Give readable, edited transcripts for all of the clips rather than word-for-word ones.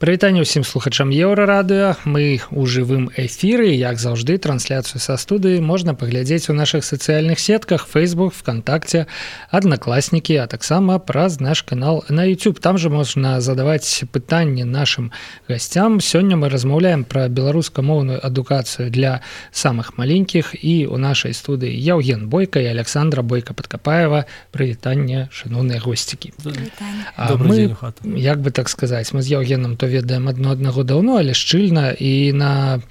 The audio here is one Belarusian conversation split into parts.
Прывітанне ўсім слухачам Еўрарадыё. Мы ў жывым эфіры, як заўжды, трансляцыю са студыі можна паглядзець у нашых сацыяльных сетках Facebook, ВКонтакте, Аднакласнікі, а таксама праз наш канал на YouTube. Там жа можна задаваць пытанні нашым гасцям. Сёння мы размаўляем пра беларускамоўную адукацыю для самых маленькіх, і ў нашай студыі Яўген Бойка і Александра Бойка-Падкапаева. Прывітанне, шаноўныя госцікі. Добрый дзень у хату. Як бы так сказаць, мы з Яўгенам то ведаем аднаго даўно, але шчыльна, і на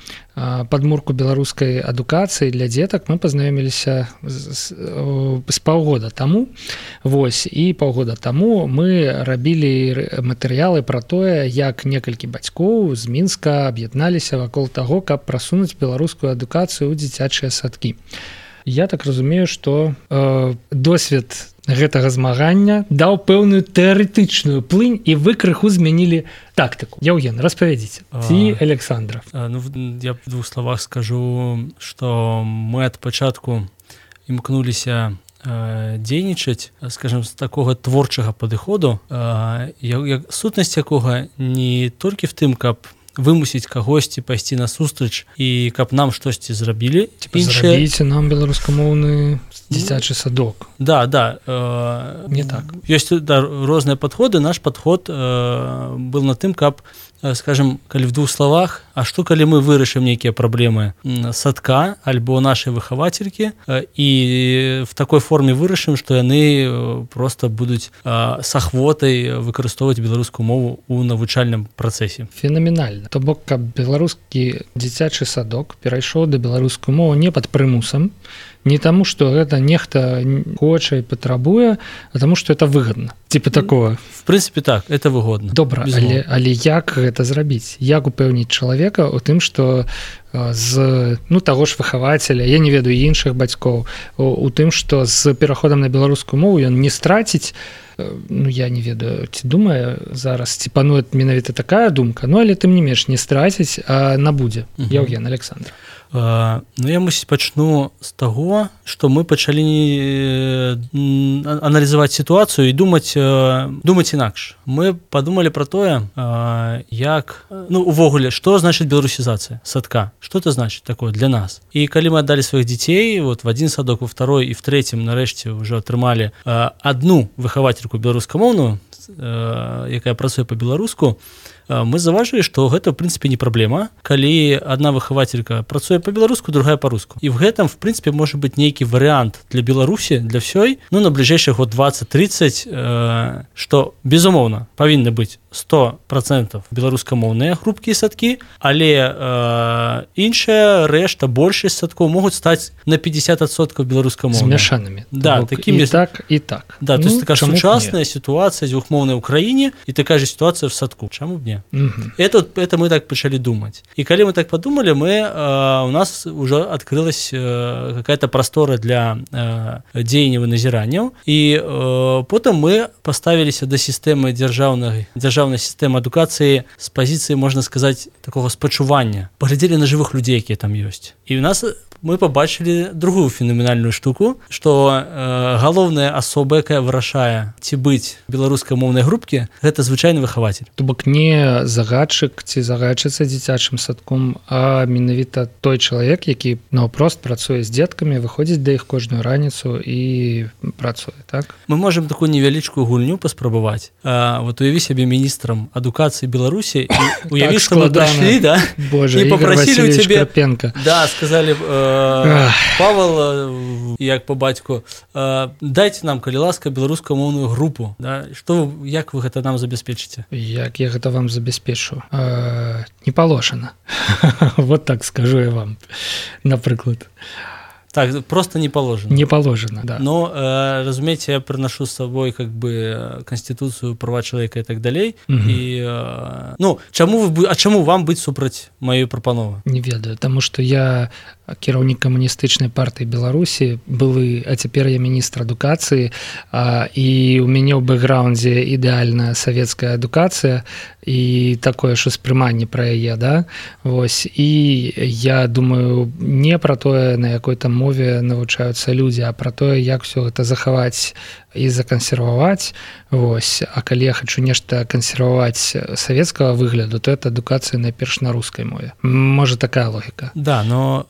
падмурку беларускай адукацыі для дзетак мы пазнаёміліся з паўгода таму. Вось, і паўгода таму мы рабілі матэрыялы пра тое, як некалькі бацькоў з Мінска аб'ядналіся вакол таго, каб прасунуць беларускую адукацыю ў дзіцячыя садкі. Я так разумею, што досвед гэтага змагання даў пэўную тэарэтычную плынь, і вы крыху змянілі тактыку. Яўген, распавядзіце. Ці Александра? Я в двух словах скажу, што мы ад пачатку імкнуліся дзейнічаць, скажем, з такога творчага падыходу, сутнасць якога не толькі в тым, каб вымусіць кагосьці пайсці насустрач і каб нам штосьці зрабілі. Зрабіце нам беларускамоўны дзіцячы садок. Да. Не так. Ёсць розныя падходы. Наш падход был на тым, каб, скажем, калі в двух словах, а што калі мы вырашым нейкія праблемы садка альбо нашай выхавацелькі і в такой форме вырашым, што яны просто будуць с ахвотай выкарыстоўваць беларускую мову ў навучальным працэсе. Фенаменальна. То бок, каб беларускі дзіцячы садок перайшоў да беларускую мову не пад прымусам, не таму, што гэта нехта хоча і патрабуе, а таму, што это выгодна. Типа такого. В прынцыпе, так, это выгодна. Добра, але як гэта зрабіць? Як упэўніць чалавека ў тым, што з таго ж выхавацеля, я не ведаю іншых бацькоў, у тым, што з пераходам на беларускую мову ён не страціць, я не ведаю, ці думае зараз, ці пануе менавіта такая думка, але тым не менш не страціць, а набудзе. Яўген, Александр. Я, мусіць, пачну з таго, што мы пачалі аналізаваць сітуацыю і думаць інакш. Мы падумалі пра тое, як, увогуле, што значыць беларусізацыя садка? Што это значыць такое для нас? І калі мы аддалі сваіх дзяцей, в адзін садок, у второй і в трэцім, нарэшце, ўжо атрымалі адну выхавацельку беларускамоўную, якая працуе па-беларуску, мы заўважылі, што гэта, в прынцыпе, не праблема, калі адна выхавацелька працуе па-беларуску, другая па-руску. І в гэтым, в прынцыпе, можа быць нейкі варыянт для Беларусі, для ўсёй, на бліжэйшых год 20-30, што, безумоўна, павінны быць 100% беларускамоўныя групкі і садкі, але іншая рэшта, большасць садкоў могуць стаць на 50% беларускамоўныя. Змяшанымі. Да, такімі. І так, і так. Да, то есть такая сучасная ситуация двухмоўнай ў краіне і такая же ситуация в садку. Чаму б не? Это мы так пачалі думаць. І калі мы так подумали, у нас уже открылась какая-то простора для дзеянняў і назіранняў, і потым мы поставіліся да сістэмы дзяржаўнай сістэмы адукацыі з пазіцыі, можна сказаць, такого спачування. Паглядзелі на жывых людзей, якія там ёсць. І у нас мы побачылі другую фенаменальную штуку, што галоўная асоба, якая вырашае, ці быць беларускамоўнай групкі, гэта звычайны выхавацель. То бок не загадчык ці загадчыца дзіцячым садком, а менавіта той чалавек, які наўпрост працуе з дзеткамі, выходзіць да іх кожную раніцу і працуе, так? Мы можам такую невялічкую гульню паспрабаваць. Вот уяві сябе міністрам адукацыі Беларусі, і уяві, што мы прыйшлі, да? Боже, і попросілі ў цябе, Крапенко. Да, сказалі, Павел, як по бацьку, дайце нам, калі ласка, беларускамоўную групу. Да? Як вы гэта нам забяспечыце? Як я гэта вам забяспечу? Не палошана. Вот так скажу я вам, напрыклад. Так, просто не положено. Не положено, да. Но, разумеете, я приношу с собой как бы Конституцию, права человека и так далей. И, чаму вам быць супраць маёй прапановы? Не ведаю, тому что я кіраўнік камуністычнай партыі Беларусі, былы, а цяпер я міністр адукацыі, і у мяне ў бэкграўндзе ідэальная савецкая адукацыя і такое ж успрыманне пра яе, да? Вось, і я думаю не пра тое, на якой там мове навучаюцца людзі, а пра тое, як усё гэта захаваць і закансерваваць. Вось. А калі я хочу нешта кансерваваць савецкага выгляду, то это адукацыя найперш на рускай мове. Можа такая логіка. Да, но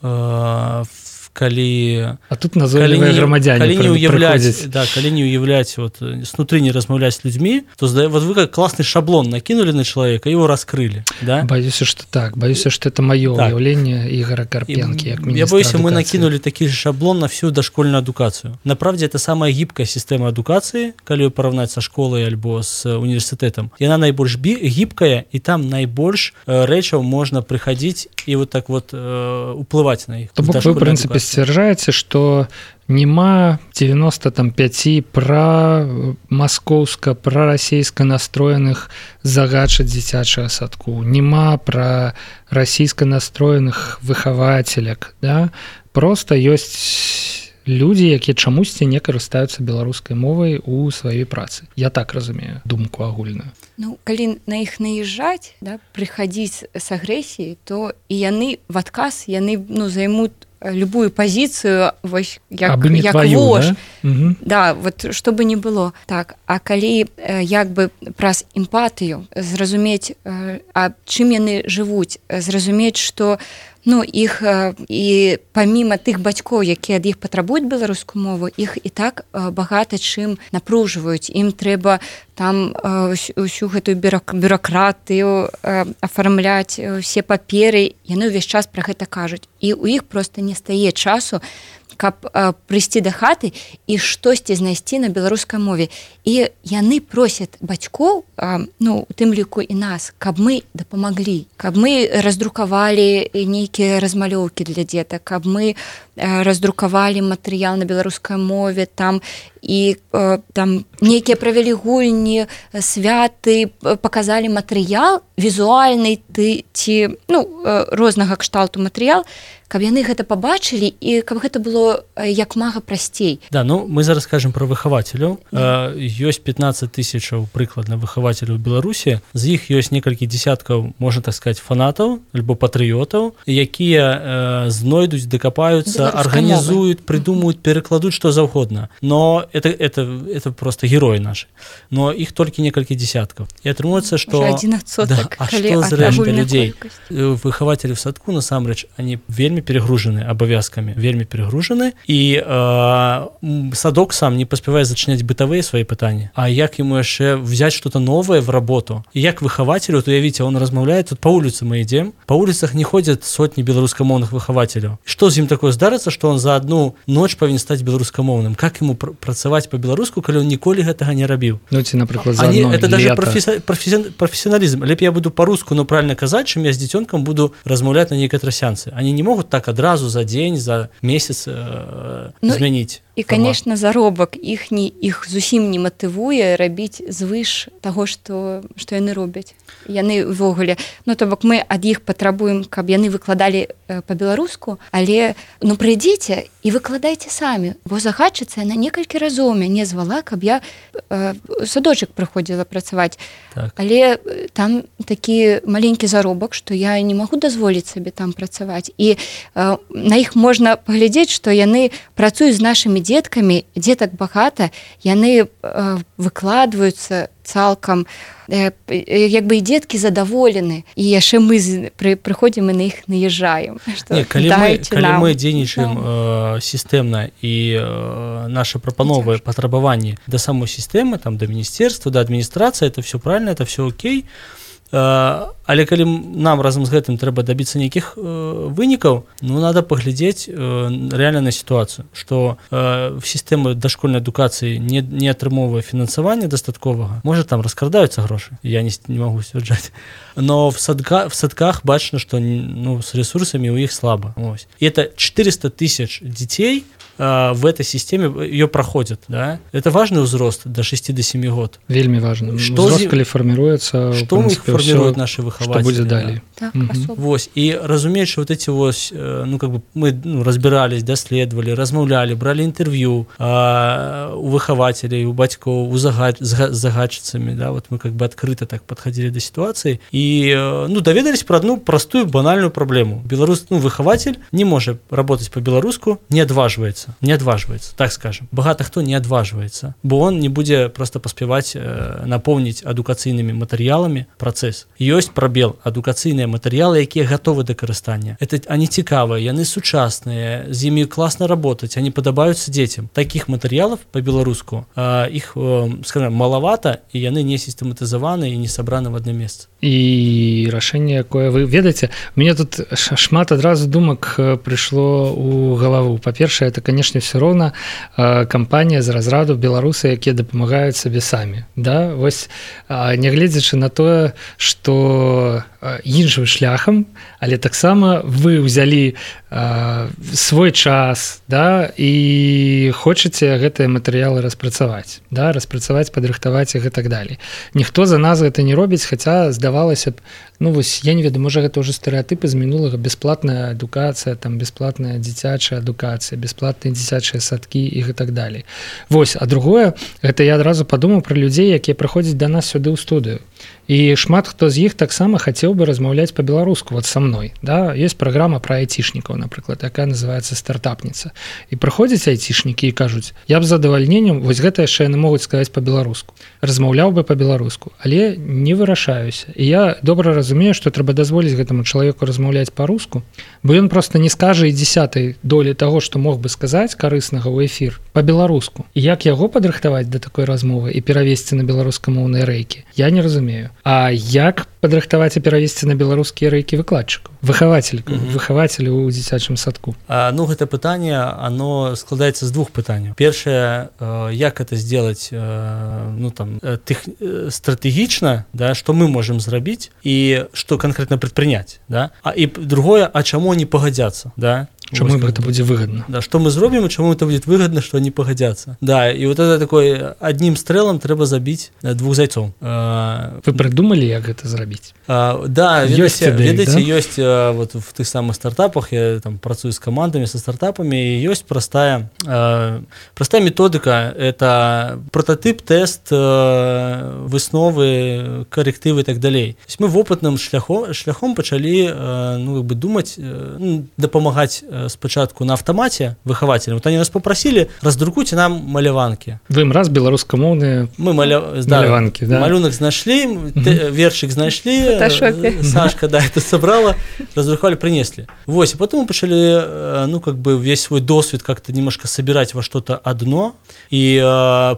калі тут назойлівыя грамадзяне прыходзяць. Да, калі не уяўляць вот снутры не размаўляць з людзьмі, то вот вы как класны шаблон накинули на человека, его раскрыли, да? Боюся, что так. Боюся, что это моё уяўленне Ігора Карпенкі як міністра. Я боюсь, мы накинули такі же шаблон на всю дошкольную адукацыю. Направде это самая гибкая система адукацыі, калі параўнаць са школай альбо з універсітэтам. Яна найбольш гибкая, і там найбольш рэчаў можна прыходить і вот так вот уплываць на іх. То бок вы, в прынцыпе, сцвярджаеце, што нема 95 маскоўска прарасійска настроеных загадчыць дзіцячага садку, нема пра расійска настроеных выхавацеляк, да? Просто ёсць людзі, якія чамусьці не карыстаюцца беларускай мовай у сваёй працы. Я так разумею думку агульную. Ну, калі на іх наезжаць, да, прыходзіць з агрэсіяй, то і яны в адказ займут любую пазіцыю вось як вож. Да? Да, вот што бы не было. Так, а калі як бы праз эмпатыю зразумець, а чым яны жывуць, зразумець, што іх і паміма тых бацькоў, якія ад іх патрабуюць беларускую мову, іх і так багата чым напружваюць. Ім трэба там усю гэтую бюракратыю афармляць, усе паперы, яны ўвесь час пра гэта кажуць. І ў іх проста не стае часу, каб прыйсці да хаты і штосьці знайсці на беларускай мове. І яны просяць бацькоў, у тым ліку і нас, каб мы дапамаглі, каб мы раздрукавалі нейкія размалёўкі для дзетак, каб мы раздрукавалі матэрыял на беларускай мове, там і там нейкія правялі гульні, святы, паказалі матэрыял візуальны ці рознага кшталту матэрыял, каб яны гэта пабачылі і каб гэта было як мага прасцей. Да, мы зараз кажам пра выхавацеляў. Ёсць 15 тысячаў прыкладна выхавацеляў у Беларусі, з іх ёсць некалькі дзесяткаў, можна так сказаць, фанатаў альбо патрыётаў, якія знойдуць, дакапаюцца, арганізуюць, прыдумаюць, перакладуць што заўгодна. Но это просто героі нашы. Но іх толькі некалькі дзесяткаў. І атрымуецца, што а што з рэшты людзей? Выхавацелі в садку, насамрэч, они вельмі перегружены абавязкамі, вельмі перегружены, і садок сам не паспявае зачыняць бытавыя свои пытанні. А як ему яшчэ взять что-то новое в работу? И як выхавателю, то явите, он размаўляет, тут по улице мы идем, по улицах не ходят сотни беларускамоўных выхавателяў. Что з ім такое здарыцца, что он за одну ночь павінен стаць беларускамоўным? Как ему працаваць по-беларуску, калі он ніколі гэтага не рабіў? Ці, напрыклад, за одно это даже лето. профессионализм. Лепей я буду по-руску, но правильно казаць, чым я з дзіцёнкам буду размаўляць на нейкай трасянцы. Они не могут так адразу за дзень, за месяц змяніць. І, конечно, заробак іх зусім не матывуе рабіць звыш таго, што яны робяць. Яны ўвогуле, то бок мы ад іх патрабуем, каб яны выкладалі па-беларуску, але прыйдзіце і выкладайце самі, бо загадчыца яна некалькі разоў мяне звала, каб я садочак прыходзіла працаваць. Так. Але там такі маленькі заробак, што я не магу дазволіць сабе там працаваць. І на іх можна паглядзець, што яны працуюць з нашымі дзеткамі, дзетак багата, яны выкладваюцца цалкам, як бы і дзеткі задаволены, і яшчэ мы прыходзім і на іх наезжаем. Калі мы дзейнічаем сістэмна і нашы прапановы, патрабаванні да самой сістэмы, там, да міністэрства, да адміністрацыі, это все правильно, это все окей. Але калі нам разам з гэтым трэба дабіцца нейкіх вынікаў, надо паглядзець рэальна на сітуацыю, што сістэма дашкольнай адукацыі не атрымоўвае фінансавання дастатковага. Можа, там раскрадаюцца грошы, я не магу сцвярджаць. Но в садках бачна, што с ресурсамі ў іх слаба. Ось. І это 400 тысяч дзяцей в этой системе ее проходят, да? Это важный взрост до 6-7 год. Вельми важно. Взрост, коли формируется, что у них формируют наши выхавацелі. Што будзе далей. Так, Вось, і разумець, што вот эти вось, ну, как бы мы разбірались, даследавалі, размаўлялі, бралі інтэрв'ю у выхавацелей, у бацькоў, з загадчыцамі, да, вот мы как бы адкрыта так падхадзілі да сітуацыі і, ну, даведались пра одну простую банальную праблему. Беларус, ну, выхавацель не можа работаць по-беларуску, не адважваецца, так скажем. Багата хто не адважваецца, бо он не будзе просто паспяваць напоўніць адукацыйнымі матэрыяламі працэс. Ёсць прабел, адукацыйныя матэрыялы, якія гатовы да карыстання. Они цікавыя, яны сучасныя, з імі класна работаць, они падабаюцца дзецям. Такіх матэрыялаў па-беларуску іх, скажем, малавата, і яны не сістэматызаваны і не сабраны в адно месца. І рашэнне, якое вы ведаеце, мне тут шмат адразу думак прыйшло ў галаву. Па-першае, это, канешне, все роўна кампанія з разраду беларусы, якія дапамагаюць сабе самі. Да? Вось, нягледзячы на тое, што іншым шляхам, але таксама вы ўзялі свой час, да, і хочаце гэтыя матэрыялы распрацаваць, да, падрыхтаваць іх і так далей. Ніхто за нас гэта не робіць, хаця здавалася б, ну вось, я не ведаю, можа гэта ўжо стэрэатыпы з мінулага, бясплатная адукацыя, там бясплатная дзіцячая адукацыя, бясплатныя дзіцячыя садкі і так далей. Вось, а другое, гэта я адразу падумаў пра людзей, якія прыходзяць да нас сюды ў студыю. І шмат хто з іх таксама хацеў бы размаўляць па-беларуску, вот са мной, да, ёсць праграма пра айцішнікаў, напрыклад, якая называецца стартапніца. І прыходзяць айцішнікі і кажуць: я б з задавальненнем, вось гэта яшчэ яны могуць сказаць па-беларуску, размаўляў бы па-беларуску, але не вырашаюся. І я добра разумею, што трэба дазволіць гэтаму чалавеку размаўляць па-руску, бо ён проста не скажа і 10 долі таго, што мог бы сказаць карыснага ў эфір па-беларуску. І як яго падрыхтаваць да такой размовы і перавесці на беларускамоўныя рэйкі, я не разумею. А як падрыхтаваць і перавесці на беларускія рэйкі выкладчыкаў, выхавацеляў у дзіцячым садку? Ну, гэта пытанне, оно складаецца з двух пытанняў. Першае, як это сделать, ну, там, стратэгічна, да, што мы можем зрабіць і што канкрэтна прадпрыняць, да? І другое, а чаму не пагадзяцца, да? Чаму гэта будзе выгодна? Да, што мы зробім і чаму это будет выгодна, што они пагадзяцца. Да, і вот это такой адным стрэлам трэба забіць двух зайцоў. Вы прыдумалі, як гэта зрабіць? Да, ведаеце, ёсць вот в тых самых стартапах, я там працую з камандамі, са стартапамі, і ёсць простая методыка, это прототип, тест, высновы, коррективы і так далей. То есть мы вопытным шляхом пачалі, ну, как бы думаць, ну, дапамагаць спачатку на автомате выхавацелям. Вот они нас попросили: раздрукуйте нам маляванки. Вы им раз беларускамоўныя маляванки, да? Малюнок знайшлі, вершик знайшлі, Сашка, да, это собрала, раздрукали, принесли. Вот, и потом мы пошли, ну, как бы весь свой досвід как-то немножко собирать во что-то одно, и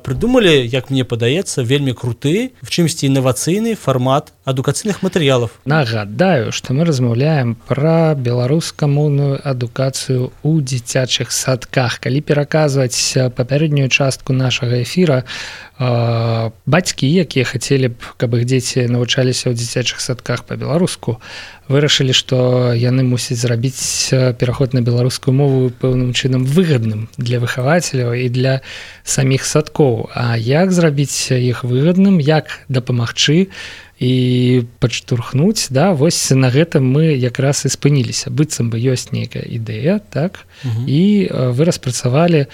придумали, як мне падаецца, вельмі круты, в чымсьці інавацыйны фармат адукацыйных матэрыялаў. Нагадаю, што мы размаўляем пра беларускамоўную адукацыю ў дзіцячых садках. Калі пераказваць папярэднюю частку нашага эфіра, бацькі, якія хацелі б, каб іх дзеці навучаліся ў дзіцячых садках па-беларуску, вырашылі, што яны мусяць зрабіць пераход на беларускую мову пэўным чынам выгадным для выхавацеляў і для саміх садкоў. А як зрабіць іх выгадным, як дапамагчы і падштурхнуць, да, вось на гэтым мы якраз і спыніліся. Быццам бы ёсць нейкая ідэя, так, і вы распрацавалі,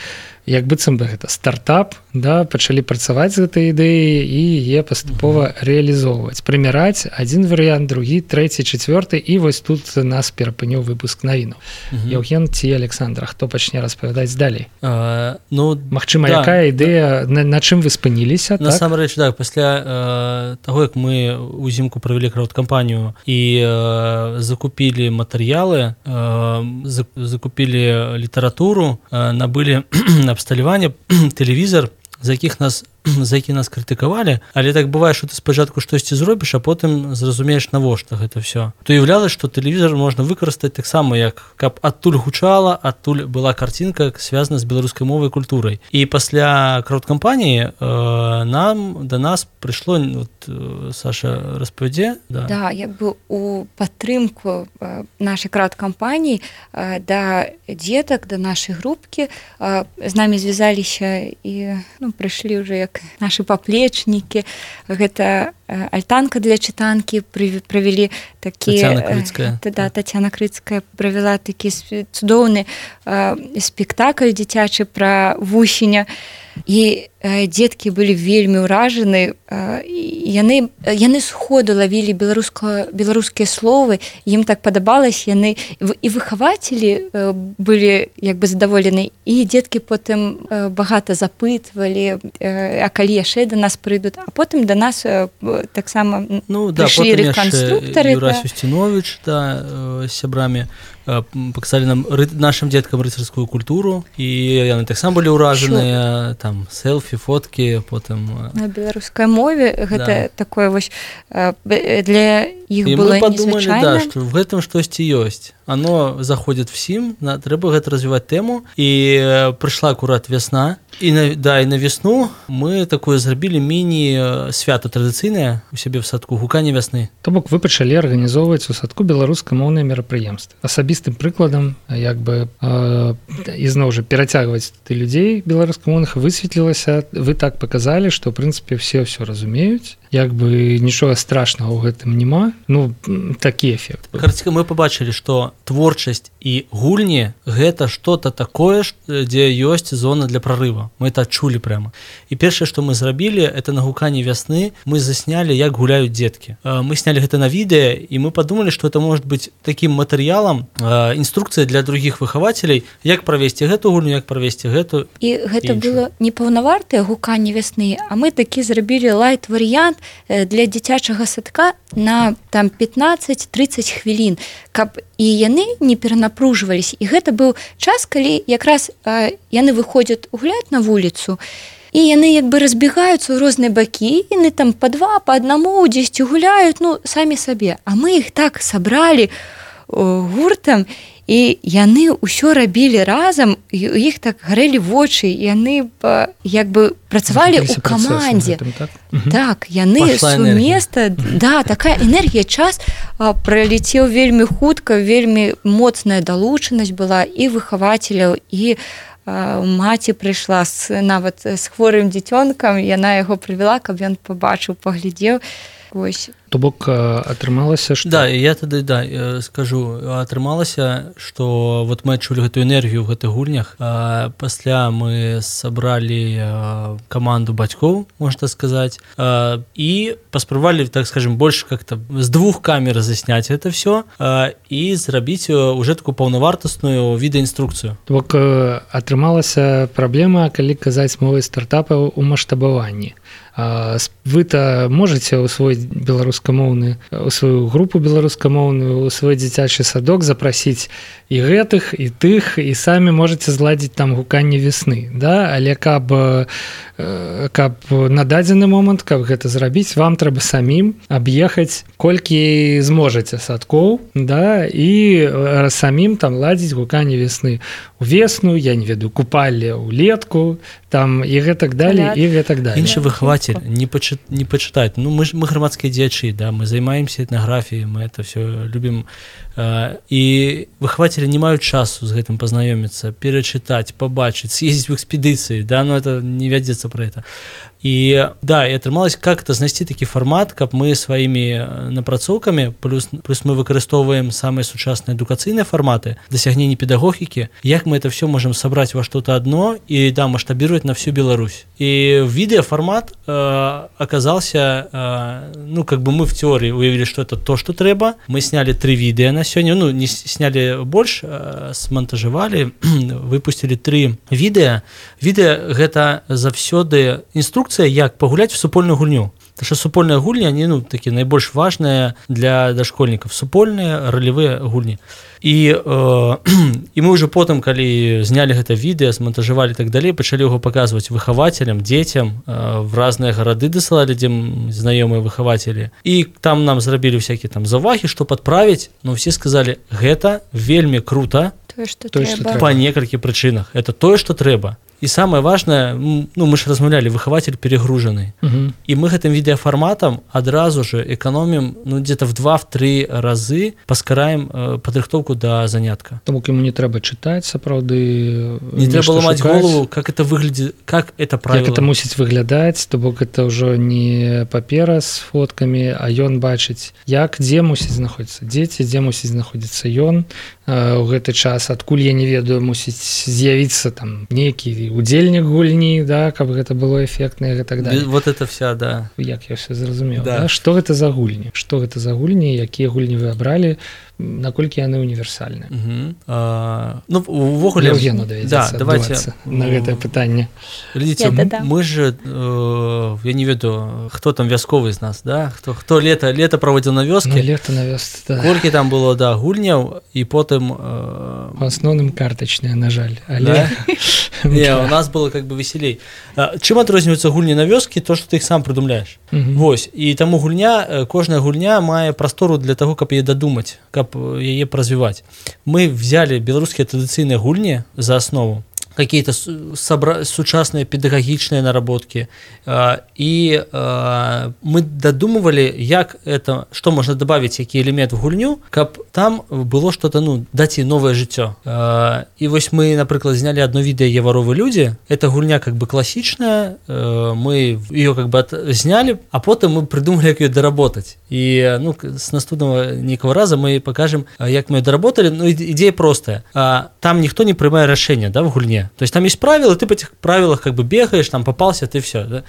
як быццам бы гэта стартап, да, пачалі працаваць з гэтай ідэяй і яе паступова рэалізоўваць, прымяраць адзін варыянт, другі, трэці, чацвёрты, і вось тут нас перапыніў выпуск навінаў. Яўген ці Александр, хто пачне распавядаць далей? Ну, магчыма, якая ідэя, на чым вы спыніліся? Насамрэч, так, пасля таго, як мы узімку правялі краўдкампанію і закупілі матэрыялы, закупілі літаратуру, набылі абсталяванне, тэлевізор, за які нас крытыкавалі, але так бывае, што ты спачатку штосьці зробіш, а потым зразумееш, навошта гэта ўсё. То уяўлялася, што тэлевізор можна выкарыстаць таксама, як каб адтуль гучала, адтуль была карцінка, звязана з беларускай мовай і культурай. І пасля краўдкампаніі да нас прыйшло, вот, Саша распавядзе. Да, як бы у падтрымку нашай краўдкампаніі да дзетак, да нашай групкі з намі звязаліся і, ну, прыйшлі ўжо як як нашы паплечнікі. Гэта альтанка для чытанкі правялі такі... Тацяна Крыцкая правяла такі цудоўны спектакль дзіцячы пра вусеня. І дзеткі былі вельмі ўражаны, яны сходу лавілі беларускія словы, ім так падабалось, яны і выхавацелі былі як бы задаволены, і дзеткі потым багата запытвалі, а калі яшчэ да нас прыйдуць, а потым да нас таксама прыйшлі рэканструктары. Юрась Устинович з сябрамі паказалі нам нашим дзеткам рыцарскую культуру, і яны таксама былі ўражаныя, там селфі, фоткі, потым на беларускай мове гэта такое вось для іх было незвычайна. І мы падумалі, што в гэтым штосьці ёсць. Оно заходит всім, трэба гэта развіваць тэму, і прыйшла акурат вясна, і на весну мы такое зрабілі міні-свято традыцыйнае у сябе в садку гуканне вясны. То бок вы пачалі арганізоўваць у садку беларускамоўныя мерапрыемствы. Асабістым прыкладам, як бы ізноў жа перацягваць ты людзей беларускамоўных, высветлілася, вы так паказалі, што ў прынцыпе все разумеюць, як бы нічога страшнага ў гэтым няма. Ну, такі эфект. Карціка, мы пабачылі, што творчасць і гульні гэта што-то такое, дзе ёсць зона для прарыва. Мы это адчулі прямо. І першае, што мы зрабілі, это на гуканні вясны мы заснялі, як гуляюць дзеткі. Мы снялі гэта на відэа, і мы падумалі, што это может быць такім матэрыялам, інструкцыя для другіх выхавацелей, як правесці гэту гульню, як правесці гэту. І гэта было не паўнавартае гуканне вясны, а мы такі зрабілі лайт-варыянт для дзіцячага садка на там 15-30 хвілін, каб і яны не перанапружваліся. І гэта быў час, калі якраз яны выходзяць гуляць на вуліцу, і яны як бы разбегаюцца ў розныя бакі, яны там па два, па аднаму дзесьці гуляюць, ну, самі сабе. А мы іх так сабралі гуртам, і яны ўсё рабілі разам, і у іх так гарэлі вочы, яны як бы працавалі ў камандзе. Так, яны сумесна, да, такая энергія, час пралецеў вельмі хутка, вельмі моцная далучанасць была і выхавацеляў, і маці прыйшла нават з хворым дзіцёнкам, яна яго прывяла, каб ён пабачыў, паглядзеў. Вось. То бок атрымалася, што... Да, я тады скажу, атрымалася, што вот мы адчулі гэтую энергію ў гэтых гульнях. Пасля мы сабралі каманду бацькоў, можна сказаць, і паспрабавалі, так скажем, больш как-то з двух камер засняць гэта все і зрабіць уже такую паўнавартасную відэаінструкцыю. То бок атрымалася праблема, калі казаць мовай стартапаў у маштабаванні. Вы-то можете усвоить беларускамоўны, у сваю групу беларускамоўную, у свой дзіцячы садок запрасіць і гэтых, і тых, і самі можете зладзіць там гуканне весны, да? Але каб на дадзены момант, каб гэта зрабіць, вам трэба самім аб'ехаць колькі зможаце садкоў, да? І самім там ладзіць гуканне весны у весну, я не ведаю, купалле ўлетку, там і гэтак далей, і гэтак далей. Іншы выхавацель не пачытаць. Ну, мы грамадскія дзеячы, да, мы займаемся этнаграфіяй, мы это все любім. І выхавацелі не маюць часу з гэтым пазнаёміцца, перачытаць, пабачыць, съездзіць в экспедыцыі, да, но это не вядзецца пра это. І да, і атрымалось как-то знайсці такі фармат, каб мы сваімі напрацоўкамі, плюс мы выкарыстоўваем самыя сучасныя адукацыйныя фарматы, дасягнення педагогікі, як мы это все можем сабраць во что-то одно і да, маштабировать на всю Беларусь. І відеафармат оказался, ну, как бы мы в теории уявили, что это то, что трэба. Мы сняли 3 відеа на сёння, ну, не сняли больш, смонтажавалі, выпустили 3 відеа. Відеа гэта заўсёды інструкцыя, як пагуляць в супольную гульню. Потому что супольная гульня, они, ну, такие найбольш важные для дошкольников. Супольные ролевые гульни. І мы уже потым, калі знялі гэта відэа, смонтажавалі і так далей, пачалі яго паказваць выхавацелям, дзецям, в разныя гарады дасылалі, дзе знаёмыя выхавацелі. І там нам зрабілі всякие там заўвагі, што падправіць, но все сказалі, гэта вельмі круто, тое, што трэба. Па некалькі прычынах. Это тое, што трэба. і самае важнае, ну мы ж размаўлялі, выхаватель перегружаны, і мы гэтым відэафарматам адразу же эканомім, ну где-то в 2-3 разы паскараем падрыхтоўку да занятка. Таму яму не трэба чытаць, сапраўды не трэба ламаць голову, как это выглядит, как это правило. Як это мусіць выглядаць, то бок это ўжо не папера з фоткамі, а ён бачыць, як, дзе мусіць знаходзіцца дзеці, дзе мусіць знаходзіцца ён у гэты час, адкуль я не ведаю, мусіць з'явіцца там нейкі удзельнік гульні, да, каб гэта было эфектна і так далее. Вот это вся, да. Як я все зразумеў, да. Што гэта за гульні? Што гэта за гульні, якія гульні вы абралі, наколькі яны універсальныя? Ну, увогуле... Евгену давядзецца адбывацца на гэтае пытанне. Глядзіце, мы же, я не ведаю, хто там вясковы з нас, да? Хто лета праводзіў на вёскі? Ну, лета на вёсцы, да. Колькі там было, да, гульняў, і потым... У асноўным картачныя, на жаль. Але... Не, у нас было как бы веселей. Чым адрозніваюцца гульні на вёскі? То, што ты іх сам прыдумляеш. Вось. І таму гульня, кожная гульня мае прастору для таго, каб яе дадумаць, каб яе развіваць. Мы взяли беларускія традыцыйныя гульні за основу, какие-то сучасные педагогичные наработки, и мы додумывали, як это, что можно добавить, какие элементы в гульню, каб там было что-то, ну, дать ей новое жыццё. И вось мы, например, сняли одно видео «Еваровы люди», это гульня как бы классичная, мы ее как бы сняли, а потом мы придумали, как ее доработать. И, ну, с наступного некого раза мы покажем, як мы ее доработали. Ну, идея простая. Там никто не принимает решения, да, в гульне. То есть там есть правила, ты по этих правилах как бы бегаешь, там попался, ты все, да?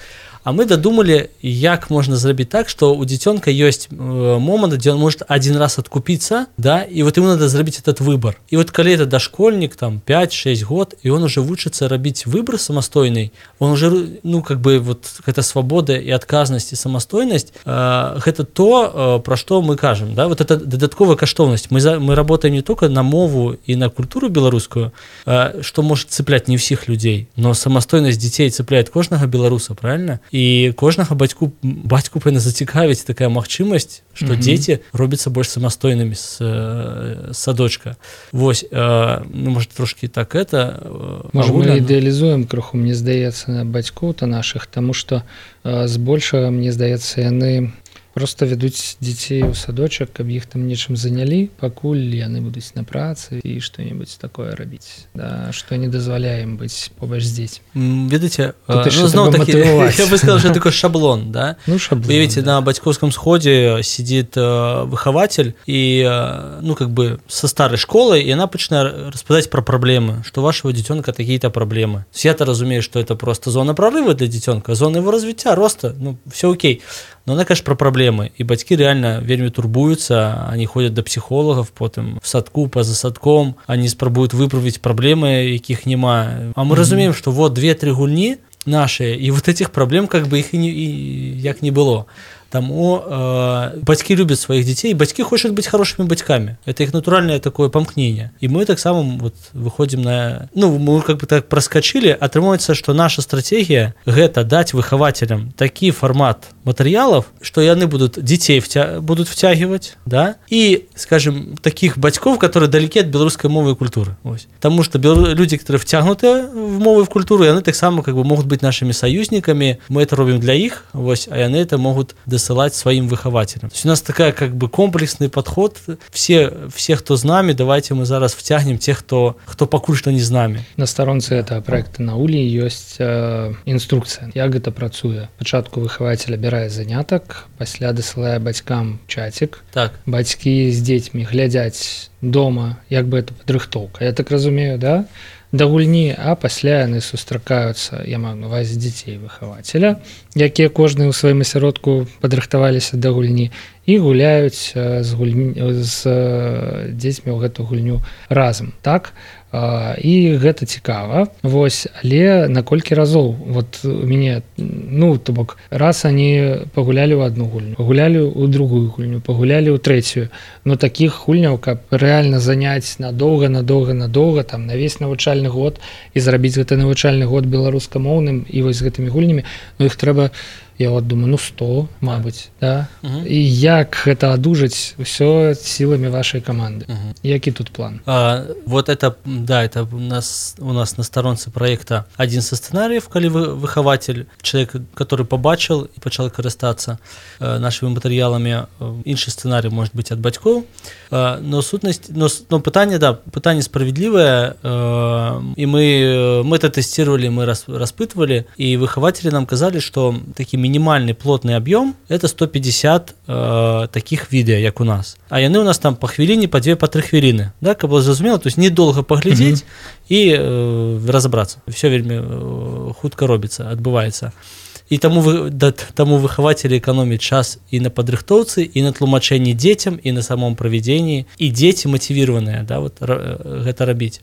А мы додумали, як можна зрабіць так, што у дзіцёнка ёсць момант, дзе он может один раз откупиться, да, и вот ему надо зрабіць этот выбор. И вот калі это дошкольник, там, 5-6 год, и он уже вучыцца рабіць выбор самастойный, он уже, ну, как бы, вот, гэта свобода и отказность, и самастойность, гэта то, про што мы кажем, да, вот это дадатковая каштоўнасць. Мы работаем не только на мову и на культуру беларускую, что может цеплять не всех людей, но самастойность детей цепляет кожнага беларуса, правильно? І кожнага бацьку павінна зацікавіць такая магчымасць, што дзеці робяцца больш самастойнымі з садочка. Вось, ну, можа, трошкі так это... Можа, мы ідэалізуем крыху, мне здаецца, бацькоў-то нашых, таму што збольшага, мне здаецца, яны просто вядуць дзяцей у садочак, каб іх там нечым занялі, пакуль яны будуць на працы і што-небудзь такое рабіць, да, што не дазваляе ім быць побач з дзецьмі. Ведаеце, ну, зноў такі, я бы сказал, что такой шаблон, да? Ну, шаблон, видите, да. На батьковском сходе сидит выхователь, и, ну, как бы со старой школы, и она начинает рассказать про проблемы, что у вашего детенка такие-то проблемы. Я-то разумею, что это просто зона прорыва для детенка, зона его развития, роста, ну, все окей. Но она, конечно, про проблемы. И бацькі реально вельмі турбуются, они ходят до психологов, потом в садку, поза садком, они спрабуют выправить проблемы, якіх нема. А мы разумеем, что вот 2-3 гульні наши, и вот этих проблем как бы их и як не было. Таму бацькі любят своих детей, бацькі хочуць быць хорошими батьками. Это их натуральное такое памкнение. И мы так само вот выходим на... Ну, мы как бы так проскочили, атрымоўваецца, что наша стратегия – гэта дать выхователям такі формат материалов, что яны будут детей будут втягивать, да, и, скажем, таких батьков, которые далеки от белорусской мовы и культуры. Ось. Потому что люди, которые втягнуты в мову и в культуру, яны так само как бы могут быть нашими союзниками, мы это робим для их, ось, а яны это могут досылать своим выхователям. То есть у нас такая как бы комплексный подход. Все, кто с нами, давайте мы зараз втягнем тех, кто пакуль што не з нами. На старонцы этого проекта на Улі ёсць інструкцыя, як гэта працуе. Пачатку выхаватель абірае занятак, пасля дасылае бацькам чатик. Так. Бацькі з дзецьмі глядзяць дома, як бы это падрыхтоўка. Я так разумею, да? Да гульні, а пасля яны сустракаюцца, я маю на увазе дзяцей выхавацеля, якія кожны ў сваім асяродку падрыхтаваліся да гульні і гуляюць з дзецьмі ў гэту гульню разам, так? І гэта цікава. Вось, але на колькі разоў? Вот у мяне, ну, то бок, раз они пагулялі ў адну гульню, пагулялі ў другую гульню, пагулялі ў трэцюю. Но такіх гульняў, каб рэальна заняць надоўга, там, на весь навучальны год і зрабіць гэты навучальны год беларускамоўным і вось з гэтымі гульнямі, ну, іх трэба, я вот думаю, 100, мабыць, да? І як гэта адужаць усё сіламі вашай каманды? Які тут план? Вот это, да, это у нас на сторонце проекта один со сценариев, калі выхаватель, человек, который побачил и пачал карыстацца нашими материалами, іншы сценарий может быть от бацькоў, но сутнасць, но пытанне справедливое, и мы это тестировали, мы распытывали, и выхаватели нам казали, что такі минимальный плотный объем это 150 таких видео, як у нас. А яны у нас там по хвіліне, по 2, по 3 хвіліны, да, каб было зразумела, то есть недолго поглядзець і разобрацца. Все вельмі хутка робіцца, адбываецца. І таму выхавацелі эканомяць час і на падрыхтоўцы, і на тлумачэнні дзецям, і на самом правядзенні, і дзеці матывіраваныя, да, вот, гэта рабіць.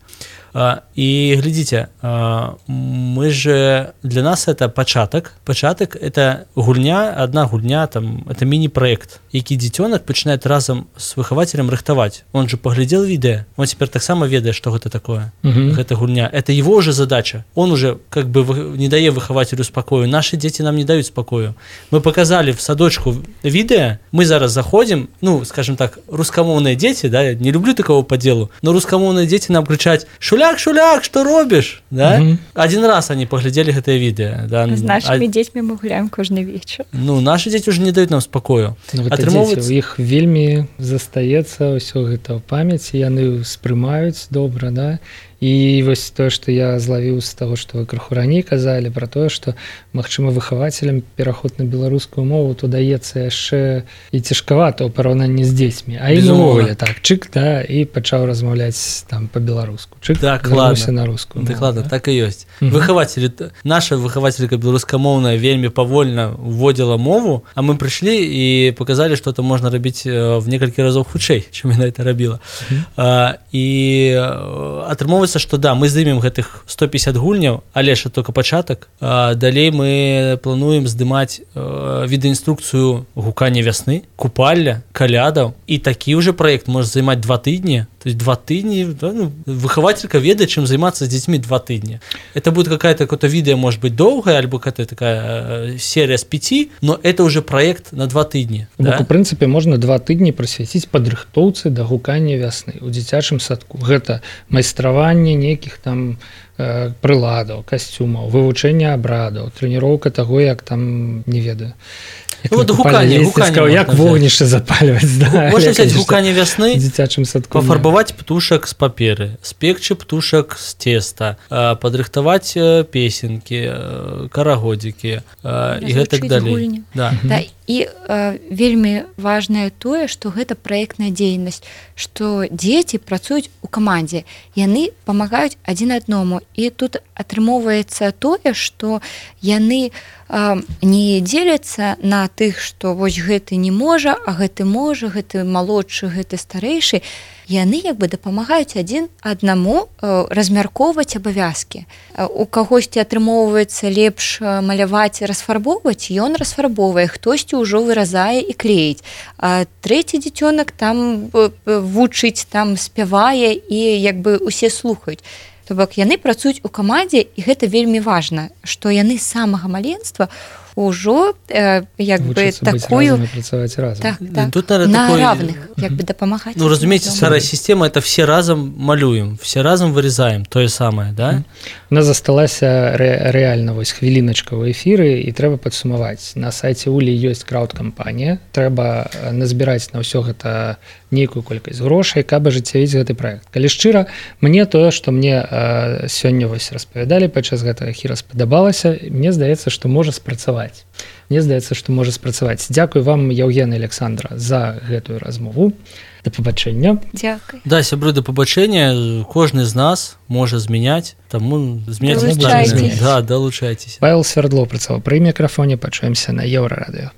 И глядите, мы же, для нас это початок это гульня, одна гульня, там, это мини-проект, які дзіцёнак пачынает разом с выхавателем рыхтаваць. Он же поглядел видео, он теперь так само ведае, что это такое, это гульня, это его уже задача, он уже как бы не дае выхавателю спокою, наши дети нам не дают спокою. Мы показали в садочку видео, мы зараз заходим, ну, скажем так, рускамоўныя дети, да, я не люблю такого по делу, но рускамоўныя дети нам кричать: Шуляк, что робишь? Да? Один раз они поглядели это видео. Да? С нашими детьми мы гуляем каждый вечер. Ну, наши дети уже не дают нам спокою. Ну, у іх вельмі застаецца ўсё гэта ў памяці, яны ўспрымаюць добра, да? І вось тое, што я злавіў з таго, што вы крыху раней казалі пра тое, што, магчыма, выхавацелям пераход на беларускую мову то даецца яшчэ і цяжкавата ў параўнанні з дзецьмі. А і увогуле так, чык, да, і пачаў размаўляць там па-беларуску. Чык, вярнуўся на рускую мову. Ладно, так і ёсць. Выхавацелі, наша выхавацелька беларускамоўная вельмі павольна вводзіла мову, а мы прыйшлі і показалі, што это можна рабіць в некалькі разоў хутчэй, чым яна это рабіла. І атрымоўваецца, что да, мы здымем гэтых 150 гульняў, але ж только пачатак. Далей мы плануем здымаць відэаінструкцыю гукання вясны, купальля, калядаў, і такі ўжо проект можа займаць 2 тыдні. То есть 2 тыдні, да, ну, выхавателька ведае, чым займацца з дзецьмі 2 тыдні. Это будет какое-то видео, может быть, долгое, альбо какая-то такая серия с 5, но это уже проект на 2 тыдні. Да? В прынцыпе, можна 2 тыдні прысвяціць падрыхтоўцы да гукання вясны ў дзіцячым садку. Гэта майстраванне нейкіх там прыладаў, касцюмаў, вывучэнне абрадаў, трэніроўка таго, як там, не ведаю, гуканне, як вогнішча запальваць, да, можна взять гуканне вясны, дзіцячым садку, пафарбаваць птушак з паперы, спекчы птушак з теста, падрыхтаваць песенкі, карагодзікі і гэтак далей. Да. І вельмі важнае тое, што гэта праектная дзейнасць, што дзеці працуюць у камандзе, яны памагаюць адзін аднаму, і тут атрымоўваецца тое, што яны не дзеляцца на тых, што вось гэты не можа, а гэты можа, гэты малодшы, гэты старэйшы. Яны як бы дапамагаюць адзін аднаму размяркоўваць абавязкі. У кагосьці атрымоўваецца лепш маляваць і расфарбоўваць, ён расфарбоўвае, хтосьці ўжо выразае і клеіць. А трэці дзіцёнак там вучыць, там спявае і як бы усе слухаюць. То бок яны працуюць у камандзе, і гэта вельмі важна, што яны з самага маленства ўжо як бы такую працаваць разам. Так, тут на равных як бы дапамагаць. Ну, разумееце, старая система, это все разом малюем, все разом вырезаем, тое самае, да? У нас засталася рэальна вось хвіліначка ў эфіры, і трэба падсумаваць. На сайце Улі ёсць крауд-кампанія, трэба назбіраць на ўсё гэта нейкую колькасць грошай, каб ажыццявіць гэты праект. Калі шчыра, мне тое, што мне сёння вось распавядалі падчас гэтага эфіра, спадабалася, мне здаецца, што можа спрацаваць. Мне здаецца, што можа спрацаваць. Дзякуй вам, Яўген і Александра, за гэтую размову. Да пабачэння. Дзякуй. Да, сябры, да пабачэння. Кожны з нас можа змяняць, таму змяняць. Далучайцеся. Да, далучайцеся. Павел Свердлов працаваў пры мікрафоне. Пачуемся на Еўрарадыё.